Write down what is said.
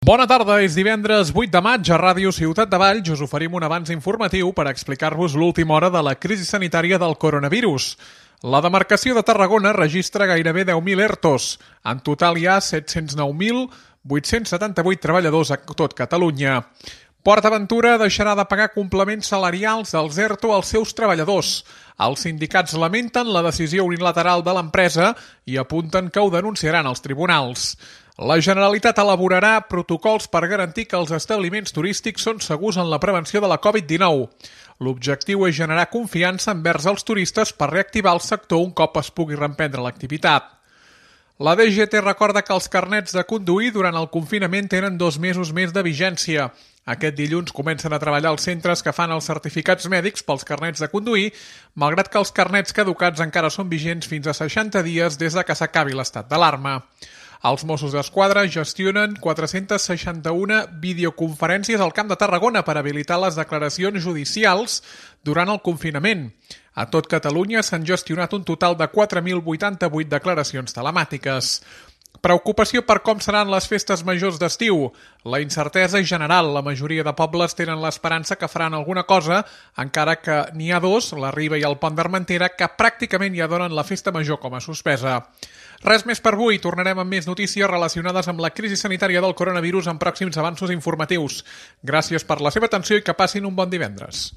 Bona tarda, és divendres 8 de maig a Ràdio Ciutat de Valls. Us oferim un avanç informatiu per explicar-vos l'última hora de la crisi sanitària del coronavirus. La demarcació de Tarragona registra gairebé 10.000 ERTOs. En total hi ha 709.878 treballadors a tot Catalunya. PortAventura deixarà de pagar complements salarials dels ERTO als seus treballadors. Els sindicats lamenten la decisió unilateral de l'empresa i apunten que ho denunciaran als tribunals. La Generalitat elaborarà protocols per garantir que els establiments turístics són segurs en la prevenció de la Covid-19. L'objectiu és generar confiança envers els turistes per reactivar el sector un cop es pugui reprendre l'activitat. La DGT recorda que els carnets de conduir durant el confinament tenen 2 mesos més de vigència. Aquest dilluns comencen a treballar els centres que fan els certificats mèdics pels carnets de conduir, malgrat que els carnets caducats encara són vigents fins a 60 dies des de que s'acabi l'estat d'alarma. Els Mossos d'Esquadra gestionen 461 videoconferències al Camp de Tarragona per habilitar les declaracions judicials durant el confinament. A tot Catalunya s'han gestionat un total de 4.088 declaracions telemàtiques. Preocupació per com seran les festes majors d'estiu. La incertesa és general. La majoria de pobles tenen l'esperança que faran alguna cosa, encara que n'hi ha dos, la Riba i el Pont d'Armentera, que pràcticament ja donen la festa major com a suspesa. Res més per avui. Tornarem amb més notícies relacionades amb la crisi sanitària del coronavirus en pròxims avanços informatius. Gràcies per la seva atenció i que passin un bon divendres.